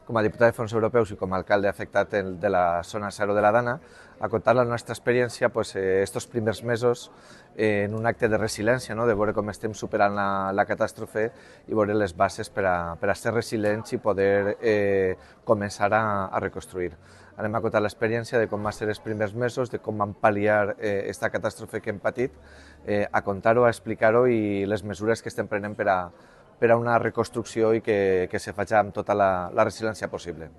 com a diputat de fons europeus i com a alcalde afectat de la zona 0 de la Dana, a contar la nostra experiència estos primers mesos en un acte de resiliència, de veure com estem superant la catàstrofe i veure les bases per a ser resilients i poder començar a reconstruir. Anem a contar l'experiència de com va ser els primers mesos, de com vam pal·liar aquesta catàstrofe que hem patit, a contar-ho, a explicar-ho i les mesures que estem prenent per a una reconstrucció i que se faci amb tota la resiliència possible.